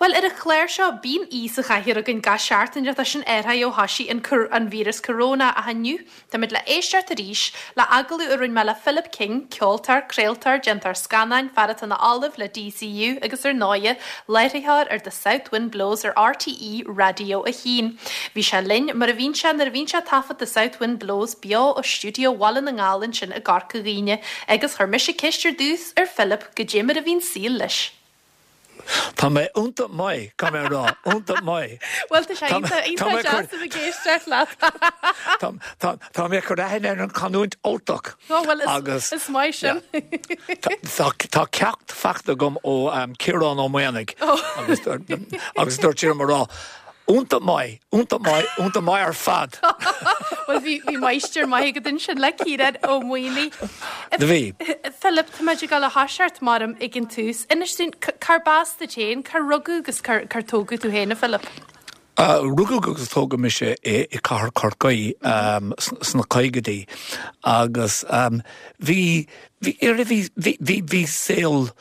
Bhuel, ar an chlár seo, bíonn aoi sa chathaoir againn gach seachtain, tá sin athraithe ó thoisigh an an víreas coróna, ach inniu, táimid le éisteacht arís le agallamh a rinne mé le Philip King, ceoltóir, craoltóir, déantóir scannáin, fear atá ina ollamh le DCU agus ar ndóighe, láithreoir ar The South Wind Blows ar RTÉ Raidió 1. Bhí sé linn, mar a bhíonn sé nuair a bhíonn sé ag taifead The South Wind Blows beo ó stiúideo Bhaile na nGall ansin i gCorca Dhuibhne, agus chuir mise ceist ar dtús ar Philip goidé mar a bhí'n saol leis. Tá mé iontach maith, caithfidh mé a rá, iontach maith. Bhuel, tá sé iontach, iontach deas a bheith ag éisteacht leat. Tá mé ag cur aithne ar an chanúint Ultach. Ó, bhuel, is, is maith sin. Tá ceacht faighte agam ó Ciarán Ó Maonaigh agus agus dúirt sé liom a rá, Iontach maith, iontach maith, iontach maith ar fad. Bhuel, bhí, bhí máistir maith agat ansin le Ciarán Ó Maonaigh. Do bhí. Philip, tá muid ag dul a thoiseacht maram ag an tús. Inis dúinn, cárb as duit féin, cár rugadh agus cár, cár tógadh tú féin, a Philip? Rugadh agus tógadh mise i, i cathair Chorcaí sna caogaidí agus bhí, bhí, bhí, bhí, bhí, bhí saol,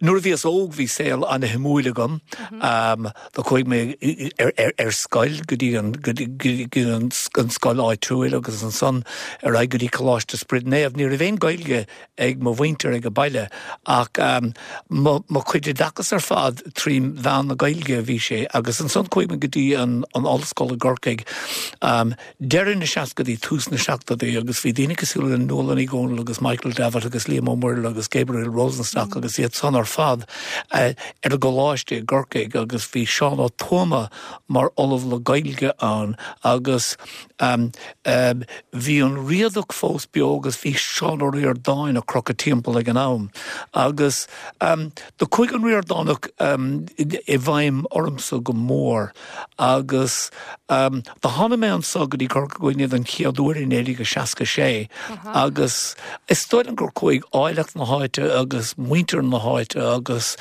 Nuair a bhíos óg bhí saol ana-shuimiúil agam. Do chuaigh mé ar scoil go dtí an go dtí an scoil áitiúil agus ansan ar aghaidh go dtí Coláiste Spioraid Naomh. Ní raibh aon Gaeilge ag mo mhuintir ag an baile ach mo chuid oideachas ar fad trí mheán na Gaeilge a bhí sé agus ansan chuaigh mé go dtí an ollscoil i gCorcaigh. deireadh na seascaidí, tús na seachtóidí agus bhí daoine cosúil le Nuala Ní Dhomhnaill agus Michael Davitt agus Liam Ó Muirthile agus Gabriel Rosenstock agus iad san ar fad ar an gcoláiste i gCorcaigh agus bhí Seán Ó Tuama mar ollamh le Gaeilge ann agus bhí an Riadach fós beo agus bhí Seán Ó Ríordáin ag crochadh timpeall ag an am agus do chuaigh an Ríordánach i bhfeidhm ormsa go mór agus Do tháinig mé anso go dtí Corca Dhuibhne don chéad uair i 1966 agus is dóigh liom gur chuaigh áilleacht na háite agus muintir na háite agus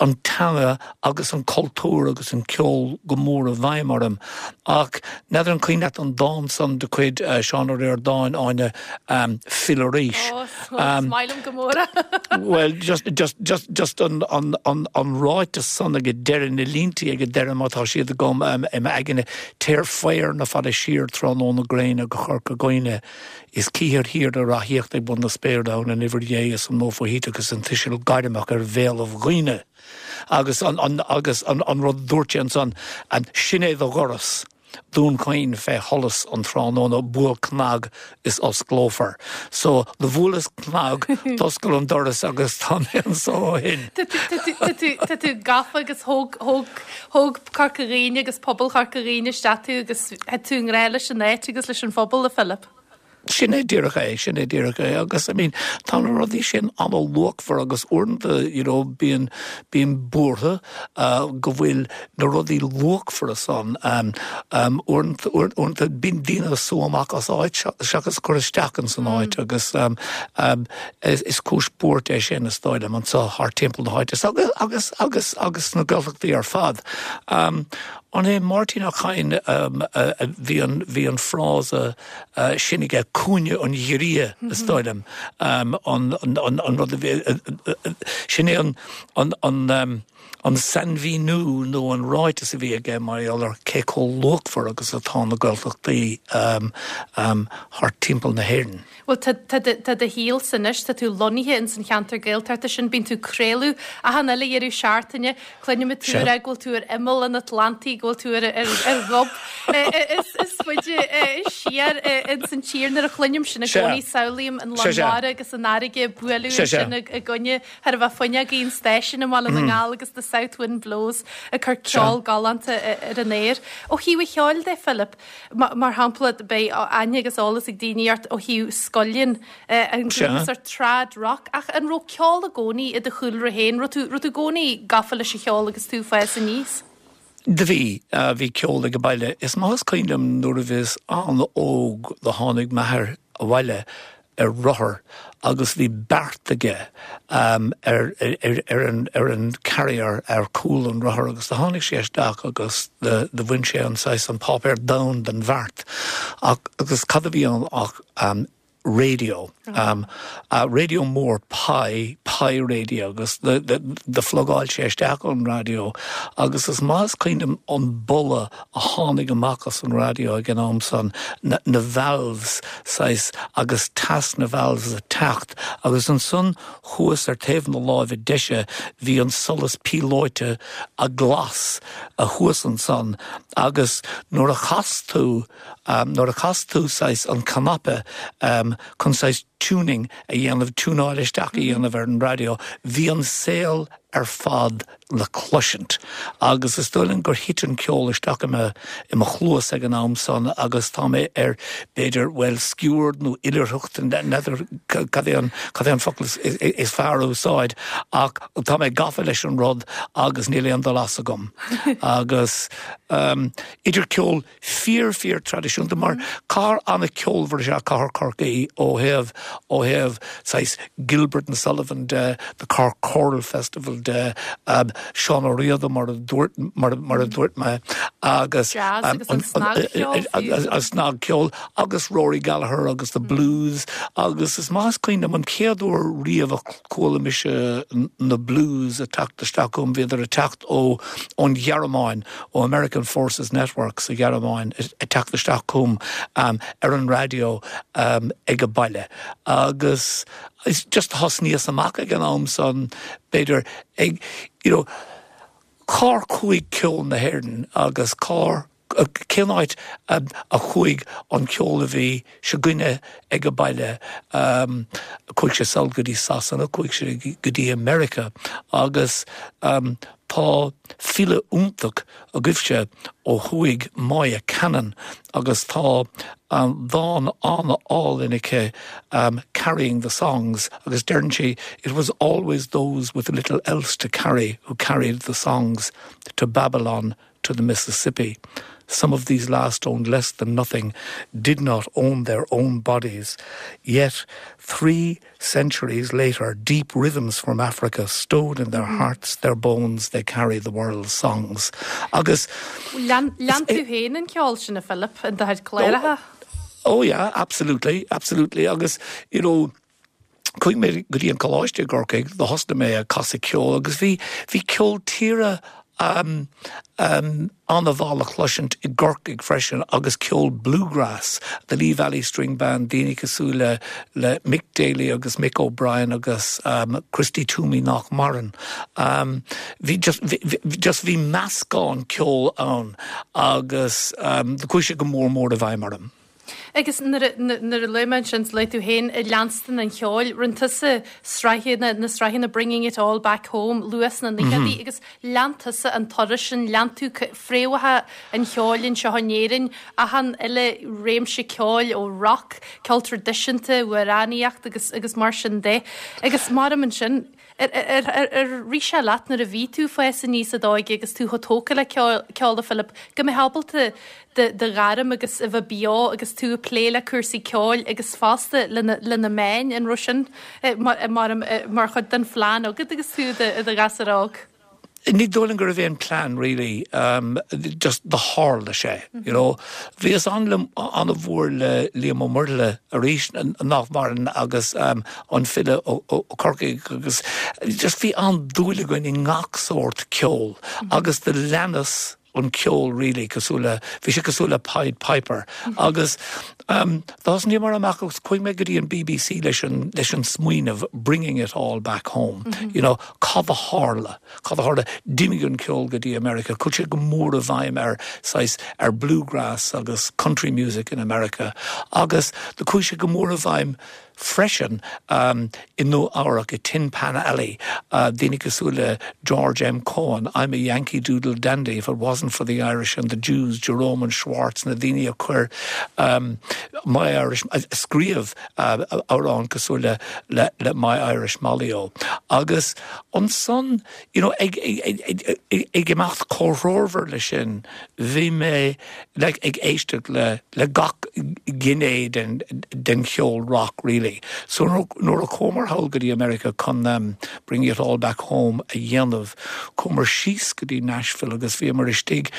an teanga agus an cultúr agus an ceol go mór i bhfeidhm orm. Ach n'fheadar an cuimhin leat an dán san de chuid Seán Ó Ríordáin, Áine, Fill Arís. Ó, is maith liom go mór é. Bhuel, just, just, just, just an, an, an, an ráiteas san ag deireadh, na líntí ag deireadh má tá siad agam i m'aigne, Téir faobhar na fada siar tráthnóna gréine go Corca Dhuibhne, is cífir thiar ag reathaíocht ag bun na spéire ann an uimhir Dhé is an modh fóichíteach is an tuiseal gairmeach ar bhéalaibh dhaoine. Agus an, an, agus an, an rud a dúirt sé ansan, sin é do dhoras. Dún Chaoin fé sholas an tráthnóna, buail cnag is osclófar. So, do bhuaileas cnag, d'oscail an doras agus tá mé anso ó shin. Tá tú gafa agus thóg, thóg, thóg Corca Dhuibhne agus pobal Chorca Dhuibhne isteach tú agus thit tú i ngrá leis an áit agus leis an phobal, a Philip. Sin é díreach é, sin é díreach é agus I mean tá na rudaí sin an-luachmhar agus uaireanta you know bíonn, bím buartha go bhfuil na rudaí luachmhara san uaireanta, uaireanta bíonn daoine ag sú amach as áit seachas cur isteach ins an áit agus is cúis buairt é sin is dóigh liom anso thart timpeall na háite agus, agus, agus, agus sna Gaeltachtaí ar fad. An é Máirtín Ó Cadhain a bhí an, bhí an frása sin aige, cúinne an ghiorria, is dóigh liom, an rud a bhí, sin é an sainmhíniú nó an ráiteas a bhí aige mar gheall ar cé chomh luachmhar agus atá na Gaeltachtaí thart timpeall na hÉireann. Bhuel, tá, tá, tá do shaolsa anois, tá tú lonnaithe ins an cheantar Gaeltachta sin, bíonn tú ag craoladh achan uile dheireadh seachtaine, cluinimid tú ag rá go bhfuil tú ar imeall an Atlantaigh, go bhfuil tú ar, ar, ar ghob is, is faide siar ins an tír. Nuair a chluinim sin i gcónaí samhlaím an lán mara agus an fharraige ag bualadh ansin i gcoinne thar a bheith fuinneogaí an stáisiúin i mBaile na nGall agus The South Wind Blows ag cur ceol galánta ar an aer. Ó thaobh an cheoil de, Philip, Mar shampla, beidh aithne agus eolas ag daoine ort ó thaobh Scullion, an grúpa sort trad rock, ach an raibh ceol i gcónaí i do chúlra féin? Raibh tú, raibh tú i gcónaí gafa leis an cheol agus tú ag fás aníos? Do bhí, bhí ceol ag an baile. Is maith is cuimhin liom nuair a bhíos an-óg do tháinig m'athair abhaile ar rothar agus bhí beart aige ar an ar an carrier ar cúl an rothair agus do tháinig sé isteach agus do bhain sé an saghas an páipéar donn den bheart ach agus cad a bhí ann ach. raidió, raidió mór pie, pie radio agus do phlugáil sé isteach an raidió agus is maith is cuimhin liom an boladh a tháinig amach as an raidió ag an am san, na valves saghas agus teas na valves ag teacht agus ansan thuas ar taobh na láimhe deise bhí an solas píolóite a glas thuas ansan agus nuair a chas tú nuair a chas tú saghas an cnaipe chun saghas tuning a dhéanamh, tiúnáil isteach a dhéanamh ar an raidió, bhí an saol ar fad le cloisint. Agus is dóigh liom gur thit an ceol isteach i mo, i mo chluas ag an am san agus tá mé ar, b'fhéidir, bhuel, sciuird nó oilithreacht, n'fheadar cad é an, cad é an focal is fearr a úsáid, ach tá mé gafa leis an rud agus níl aon dul as agam. Agus idir ceol fíor fíor traidisiúnta mar cathair an-cheolmhar is ea cathair Chorcaí ó thaobh ó thaobh saghas Gilbert and Sullivan de, the Cork Choral Festival de, Seán Ó Riada mar a dúirt mar mar a dúirt mé agus Jazz agus an snagcheol fiú. an snagcheol agus Rory Gallagher agus the blues agus is maith is cuimhin liom an chéad uair riamh a chuala mise na blues ag teacht isteach chugam bhíodar ag teacht ó ón Ghearmáin ó American Forces Network sa Ghearmáin ag teacht isteach chugam ar an raidió ag an baile agus just thosnaíos amach ag an am san b'fhéidir ag you know cár chuaigh ceol na hÉireann agus cár cén áit a chuaigh an ceol a bhí s'againne ag an baile chuaigh sé sall go dtí Sasana chuaigh sé go dtí America agus Tá file iontach agaibhse ó thuaidh, Moya Cannon, agus tá dán an-álainn aici, Carrying the Songs, agus deireann sí, It was always those with little else to carry who carried the songs to Babylon, to the Mississippi. Some of these last owned less than nothing, did not own their own bodies. Yet, 3 centuries later, deep rhythms from Africa stowed in their hearts, their bones, they carry the world's songs. Agus Lean tú féin an ceol sin a Philip in do chuid cláracha? Oh yeah, absolutely, absolutely. Agus, you know, chuaigh mé go dtí an coláiste i gCorcaigh, do thosnaigh mé ag casadh ceoil agus bhí, bhí ceol tíre an-mhaith le chloisint i gCorcaigh freisin agus ceol bluegrass, The Lee Valley String Band, daoine cosúil le le Mick Daly agus Mick O'Brien agus Christy Toomey nach maireann. Bhí just bhí just bhí meascán ceoil ann agus chuaigh sé go mór mór i bhfeidhm orm. Agus nuair a nuair a luaigh mé ansin, luaigh tú féin ag leanstan an cheoil, rinne tusa sraitheanna, na sraitheanna Bringing It All Back Home luath sna naochadaí agus lean tusa an turas sin, lean tú fréamhacha an cheoil anseo in Éirinn, achan uile réimse ceoil ó rock, ceol traidisiúnta, amhránaíocht agus agus mar sin de. Agus maram ansin, Ar rith sé leat nuair a bhí tú ag fás aníos i d'óige agus tú chomh tógtha le ceol, a Philip, go mbeifeá ábalta do ghairm agus a bheith beo agus tú ag plé le cúrsaí ceoil agus fosta le na meáin, an raibh sin mar chuid den phlean agat agus tú i do ghasúr óg? Ní dóigh liom go raibh aon plean really, just do tharla sé, you know. Bhíos an-mhór le Liam Ó Muirthile arís, nach maireann, agus an file ó Chorcaigh agus just bhí an-dúil againn i ngach sórt ceoil agus do leanas an ceol really cosúil le, bhí sé cosúil le Pied Piper agus thosnaíomar amach agus chuaigh mé go dtí an BBC leis an, leis an smaoineamh bringing it all back home, you know, cad a tharla, cad a tharla, d'imigh an ceol go dtí America, chuaigh sé go mór i bhfeidhm ar saghas, ar bluegrass agus country music in America agus do chuaigh sé go mór i bhfeidhm freisin i Nua Eabhrac, i Tin Pan Alley, daoine cosúil le George M. Cohan, I'm a Yankee Doodle Dandy, if it wasn't for the Irish and the Jews, Jerome and Schwartz, na daoine a chuir My Irish, a scríobh amhrán cosúil le le My Irish Molly-O. Agus ansan, you know, ag ag imeacht comhthreomhar leis sin, bhí mé like ag éisteacht le le gach gné den den cheol rock really. Lí. So nuair a chuamar thall go dtí America chun Bringing It All Back Home a dhéanamh, chuamar síos go dtí Nashville agus bhíomar istigh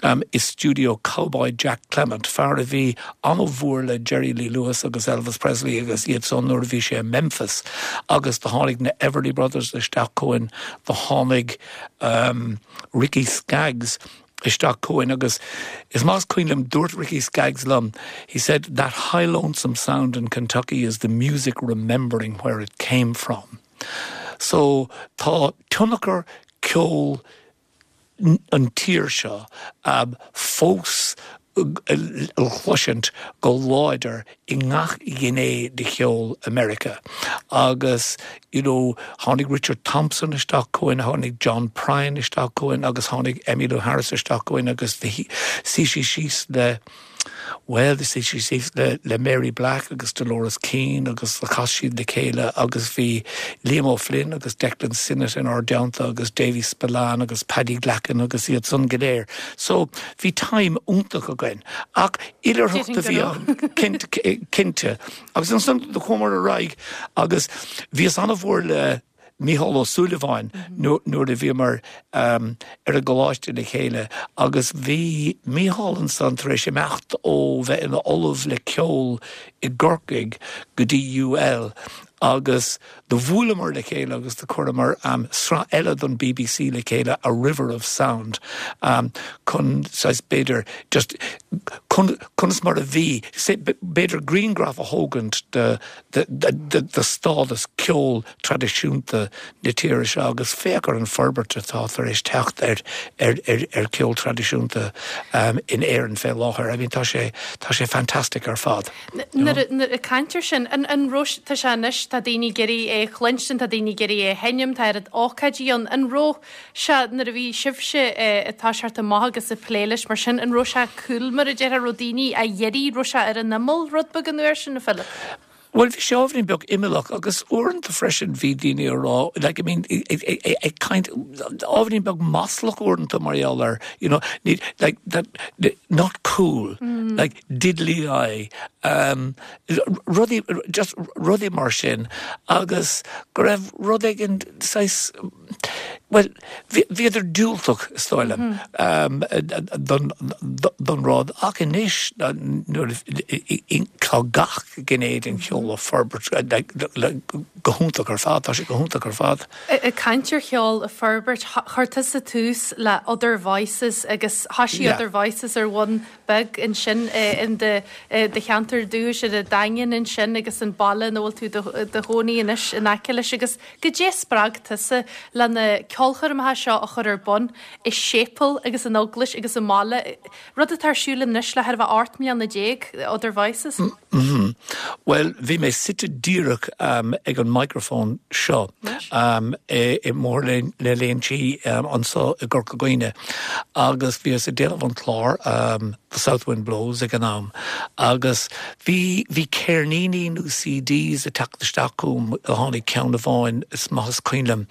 i stiúideo Cowboy Jack Clement, fear a bhí an-mhór le Jerry Lee Lewis agus Elvis Presley agus iad san nuair a bhí sé i Memphis agus do tháinig na Everly Brothers isteach chugainn, do tháinig Ricky Skaggs isteach chugainn agus is maith is cuimhin liom dúirt Ricky Skaggs liom, he said, that high lonesome sound in Kentucky is the music remembering where it came from. So tá tionchar ceol an tír seo fós le cloisint go láidir i ngach gné de cheol America agus you know tháinig Richard Thompson isteach chugainn, tháinig John Prine isteach chugainn agus tháinig Emmylou Harris isteach chugainn agus shuigh sí síos le Bhuel, shuigh sí síos le le Mary Black agus Dolores Keane agus chas siad le chéile agus bhí Liam O'Flynn agus Declan Sinnott inár dteannta agus Davy Spillane agus Paddy Glackin agus iad san go léir. So, bhí time iontach againn. Ach oilithreacht a bhí ann, cinnte. Agus ansan do chuamar ar aghaidh agus bhíos an-mhór le Mícheál Ó Súilleabháin nuair a bhíomar ar an gcoláiste le chéile agus bhí Mícheál ansan tar éis imeacht ó bheith ina ollamh le ceol i gCorcaigh go dtí UL agus do bhuaileamar le chéile agus do chuireamar sraith eile don bbc le chéile, A River of Sound, chun saghas b'fhéidir just conas mar a bhí, b'fhéidir grianghraf a thógaint de de stádas ceol traidisiúnta na tíre seo agus féach ar an forbairt atá tar éis teacht ar ar ceol traidisiúnta in Éirinn fé láthair. I mean tá sé tá sé fantastic ar fad. Nuair ag caint ar sin, an an raibh tá sé anois tá daoine ag iarraidh é a chluinstin, tá daoine ag iarraidh é a sheinm, tá oiread ócáidí ann, an raibh sé nuair a bhí sibhse ag toiseacht amach agus ag plé leis mar sin, an raibh sé cool mar a déarfá, raibh daoine á iarraidh, raibh sé ar an imeall rud beag an uair sin, a Philip? Bhuel, bhí sé ábhairín beag imeallach agus uaireanta freisin bhí daoine ag rá, like, I mean, ag caint, ábhairín beag maslach uaireanta mar gheall ar, you know, ní, like, that, not cool, like, diddly-eye, um, rudaí, just rudaí mar sin agus go raibh rud éigin saghas, Bhuel, bhíodar diúltach, is dóigh liom, don rud ach anois nuair tá gach gné den cheol ag forbairt go hiontach ar fad, tá sé go hiontach ar fad. Ag caint ar cheol ag forbairt, chuir tusa tús le Other Voices agus thoisigh Other Voices ar bhonn beag ansin in do cheantar dúchais ar an Daingean ansin agus an baile ina bhfuil tú i do chónaí anois in aice leis agus Goidé a spreag tusa le na ceolchoirmeacha seo a chur ar bun i séipéal agus in eaglais agus i mbaile, rud atá ar siúl anois le thar a bheith 18 mbliana, Other Voices? Bhuel, bhí mé suite díreach ag an microphone seo i mBóthar na Léinsí anseo i gCorca Dhuibhne agus bhíos ag déanamh an clár, The South Wind Blows ag an am agus bhí, bhí ceirníní nó CDs ag teacht isteach chugam, tháinig ceann amháin is maith is cuimhin liom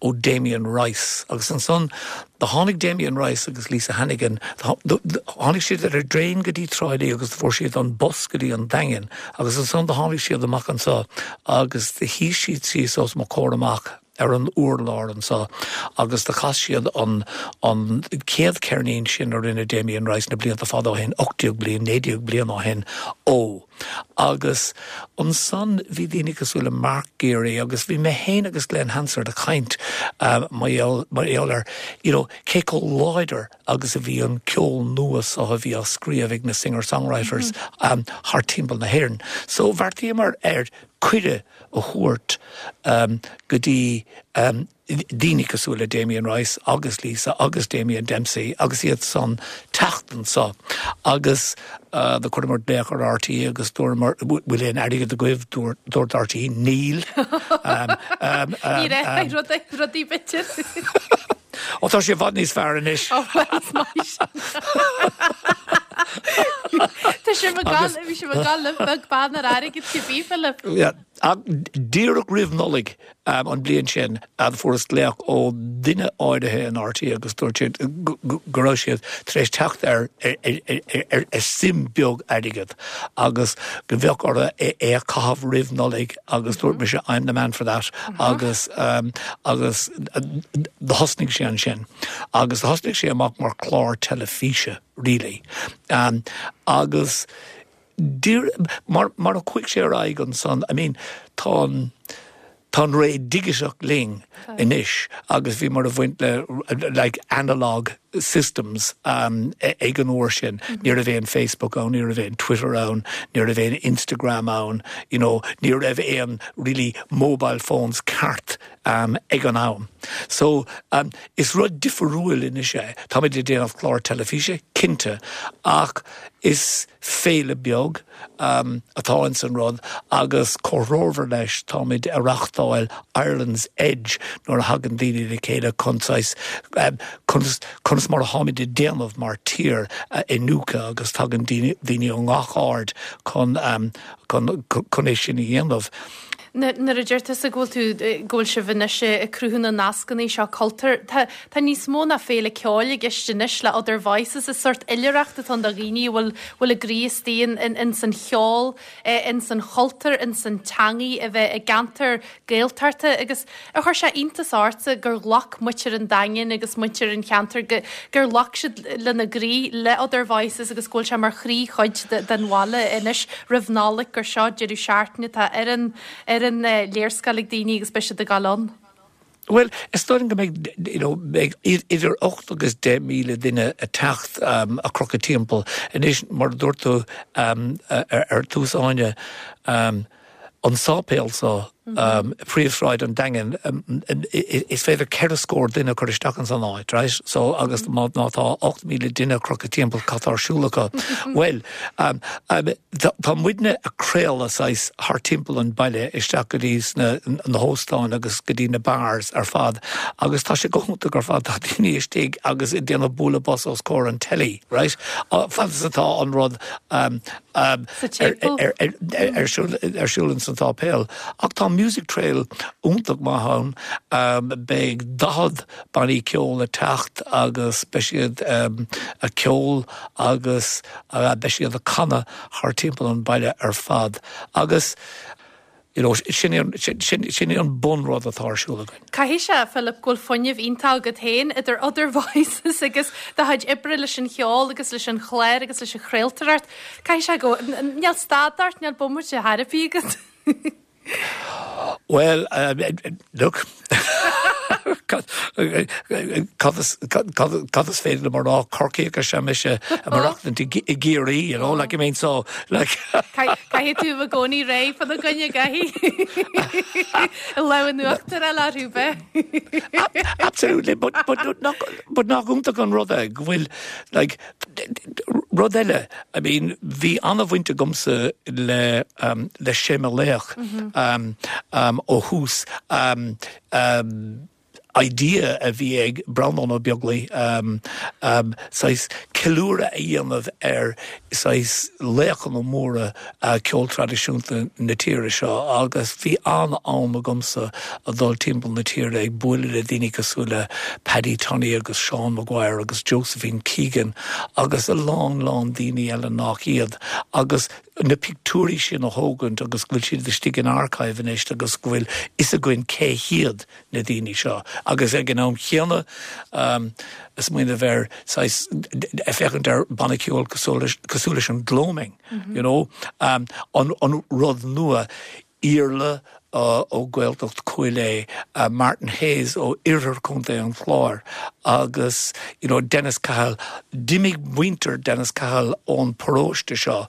ó Damien Rice agus ansan do tháinig Damien Rice agus Lisa Hannigan, tháinig siad ar an dtraein go dtí Trá Lí agus do fuair siad an bus go dtí an Daingean agus ansan do tháinig siad amach anso agus do shuigh siad síos os mo chomhair amach. ar an urlár anseo agus do chas siad an an chéad cheirnín sin a rinne Damien Rice na blianta fada ó shin, 18 bliain, 19 bliain ó shin, Ó. Agus ansan bhí daoine cosúil le Mark Geary agus bhí mé féin agus Glen Hansard ag caint mar gheall mar gheall ar you know cé chomh láidir agus a bhí an ceol nua seo a bhí á scríobh ag na singer-songwriters thart timpeall na hÉireann. So bheartaíomar ar cuireadh a thabhairt go dtí daoine cosúil le Damien Rice agus Lisa agus Damien Dempsey agus iad san teacht anso agus do chuireamar glaoch ar RTÉ agus dúramar bhfuil aon airgead agaibh dúirt RTÉ níl. Ní raibh rudaí b'fhéidir. Ó tá sé i bhfad níos fearr anois. Ó bhuel is maith sin. Tá sé ag gabháil, bhí sé ag gabháil libh beag beann ar airgead cibé, Philip. Yeah. Ach díreach roimh Nollaig an bliain sin fuaireas glaoch ó duine áirithe in RTÉ agus dúirt siad go raibh siad tar éis teacht ar suim beag airgead agus go mbeadh orthu é a chaitheamh roimh Nollaig agus dúirt mise I'm the man for that agus agus do thosnaigh sé ansin agus do thosnaigh sé amach mar chlár teilifíse really agus Mar mar a chuaigh sé ar aghaidh ansan, I mean, tá an, tá an ré dhigiteach linn anois agus bhíomar ag baint le like analogue systems ag an uair sin. Ní raibh aon Facebook ann, ní raibh aon Twitter ann, ní raibh aon Instagram ann, you know, ní raibh aon really mobile phones ceart ag an am. So is rud difriúil anois é. Táimid ag déanamh clár teilifíse, cinnte, ach is féile beag atá ins an rud agus comhthreomhar leis táimid a reachtáil Ireland's Edge nuair a thagann daoine le chéile chun saghas conas conas mar atáimid ag déanamh mar tír a iniúchadh agus tagann daoine daoine ó ngach aird chun chun chun é sin a dhéanamh. Nuair a deir tusa go bhfuil tú, go bhfuil sibh anois ag cruthú na nascanna seo cultúir, tá, tá níos mó ná féile ceoil i gceist anois le Other Voices, is sórt oilithreacht atá ann do dhaoine a bhfuil, bhfuil a gcroí istigh in, in, ins an cheol, ins an chultúr, ins an teangaidh, a bheith i gceantar Gaeltachta agus ar chuir sé iontas ortsa gur ghlac muintir an Daingin agus muintir an cheantair go, gur ghlac siad lena gcroí le Other Voices agus go bhfuil sé mar chroí-chuid den bhaile anois roimh Nollaig gur seo deireadh seachtaine atá ar an ar an léarscáil ag daoine agus beidh siad ag dul ann. Bhuel, is dóigh liom go mbeidh, you know, beidh idir 8 agus 10,000 duine ag teacht ag crochadh timpeall. Anois, mar a dúirt tú ar tús Áine, an sáipéal so, príomhshráid an Daingin, is féidir ceithre scór duine a chur isteach ins an áit, right? So, agus má tá 8,000 duine ag crochadh timpeall, cad tá ar siúl acu? Bhuel, tá muidne ag craoladh saghas thar timpeall an baile isteach go dtí sna na hóstáin agus go dtí na bars ar fad agus tá sé go hiontach ar fad, tá daoine istigh agus ag déanamh bualadh bos os comhair an telly, right? Fad is atá an rud Sa tséipéal. ar siúl ins an tsáipéal. Ach tá Music Trail iontach maith ann. Beidh 40 bannaí ceoil ag teacht agus beidh siad ag ceol agus beidh siad ag canadh thar timpeall an baile ar fad. Agus You know, sin é an, sin, sin é an bunrud atá ar siúl againn. Caithfidh sé, Philip, go bhfuil fuinneamh iontach agat féin, idir Other Voices agus do chuid oibre leis an cheol agus leis an chlár agus leis an chraoltóireacht. Caithfidh sé go, níl stad ort, níl bomaite ar bith agat. Bhuel, look, cad, cad is, cad, cad is féidir liom a rá, Corcaíoch is ea mise, ag maireachtaint i gCiarraí, you know, like, I mean, so, like. Caithfidh tú i gcónaí réidh fá choinne, caithfidh. Lámh in uachtar a fháil orthu, b'ea? Absolutely, but, but, nach, but nach iontach an rud é go bhfuil, like, rud eile, I mean, bhí an-bhaint agamsa le, um, le Séama Laoch, um, um, ó thús, um, um, idea a bhí ag Breandán Ó Beaglaoich, saghas ceiliúradh a dhéanamh ar saghas laochanna móra ceol traidisiúnta na tíre seo agus bhí an-am agamsa a dhul timpeall na tíre ag bualadh le daoine cosúil le Paddy Tunney agus Seán Maguire agus Josephine Keegan agus a lán lán daoine eile nach iad agus na pictiúirí sin a thógaint agus go bhfuil siad istigh in archive anois agus go bhfuil fhios againn cé hiad na daoine seo. Agus ag an am chéanna, ag smaoineamh ar saghas, ag féachaint ar banna ceoil cosúil leis an Gloaming, you know, an rud nua, Iarla ó Ghaeltacht Chúil Aodha, Martin Hayes ó Oirthear Chontae an Chláir agus you know Dennis Cahill. D'imigh muintir Dennis Cahill ón paróiste seo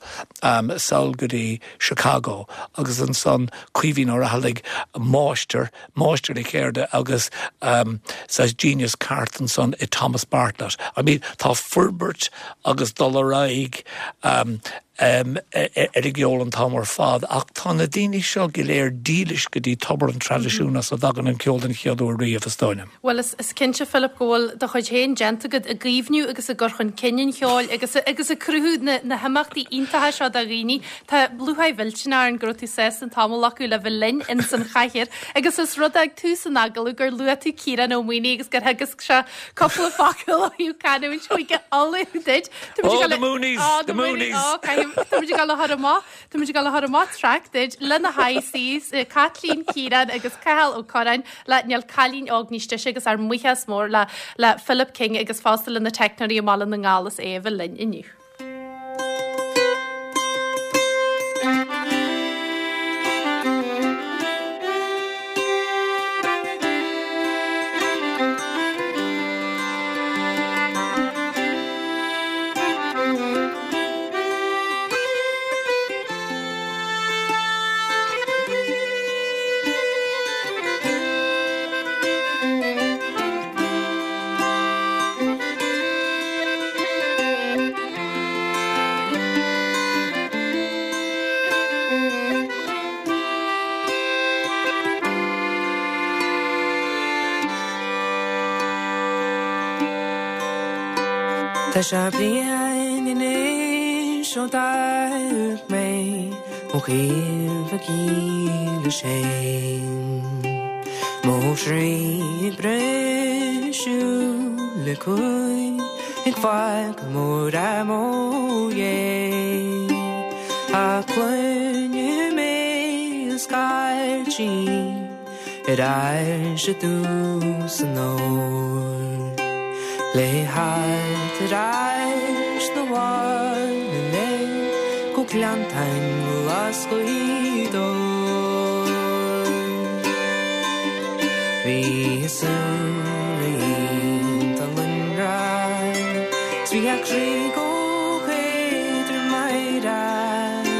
sall go dtí Chicago agus ansan Caoimhín Ó Raghallaigh, máistir, máistir a cheirde agus saghas genius ceart ansan i Thomas Bartlett. I mean tá forbairt agus dul ar aghaidh. ar an gceol an t-am ar fad ach tá na daoine seo go léir dílis go dtí tobar an traidisiúin as a dtagann an ceol den chéad uair riamh, is dóigh liom. Bhuel, is cinnte, Philip, go bhfuil do chuid féin déanta agat i gcaomhnú agus i gcur chun cinn an cheoil agus agus ag cruthú na na himeachtaí iontacha seo do dhaoine. Tá lúcháir mhillteanach orainn go raibh tú sásta an t-am a ghlacadh le bheith linn ins an chathaoir agus is rud é ag tús an agallaimh gur luaigh tú Ciarán Ó Maonaigh agus gur theagasc sé cúpla focal ó thaobh canúint Chúige Uladh duit. Oh, the Moonies! The Moonies! Oh, Táimid ag dul a chur amach, táimid ag dul a chur amach traic duit lena High Seas, Caitlín, Ciarán agus Cathal Ó Curráin le Níl Cailín Óg Níos Deise agus ár mbuíochas mór le le Philip King agus fosta le na teicneoirí i mBaile na nGall as é a bheith linn inniu. Tá sé bliain anois ó d'amharc mé ó thaobh an ghíle sin. Mo chroí ag briseadh le cumhaidh ag fágáil mór mo dhéidh. Ach cluinim é ag scairtigh ar ais i dtús an fhómhair. Le theacht ar ais 'na bhaile linn go Gleanntáin Ghlas Ghaoth Dobhair. Bhí a súile iontach lonrach 's bhí a croí chomh héadrom meidhreach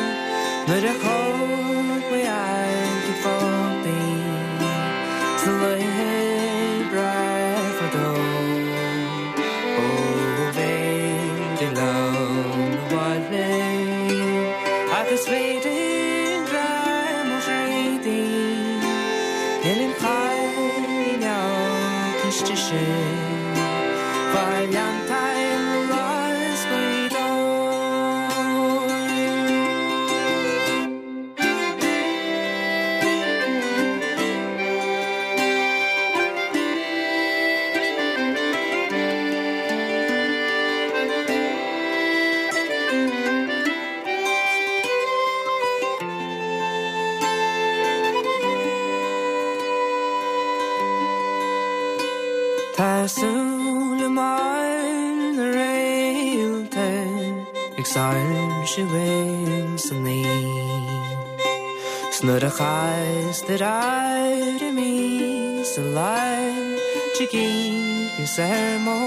nuair a thóg mé aghaidh ag fágtaí sna laethe breá fadó. Ó b'fhéidir liom 'na bhaile agus b'fhéidir greim ó thréadaí níl an cailín óg níos deise fá Ghleanntáin Ghlas Ghaoth Dobhair. Tá súile mar na réalta ag soilsiú ins an oíche. 'S nuair a chastar orm í sa lár tig aoibhneas ar mo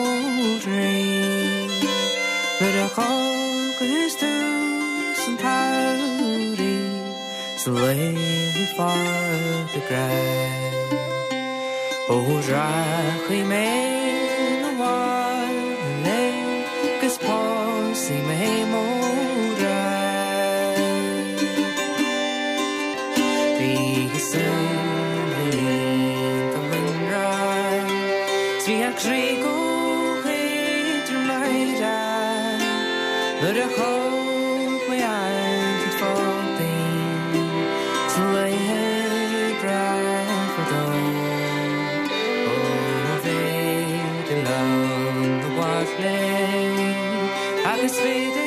chroí. Nuair a thógas tús an tsamhraidh sna laethe fada breá. Ó rachaidh mé 'na bhaile 'gus pósfaidh mé mo ghrá. Bhí a súile iontach lonrach 's bhí a croí chomh héadrom meidhreach nuair a thóg mé aghaidh ag fágtaí sna laethe breá fadó. Ó b'fhéidir liom 'na bhaile agus b'fhéidir.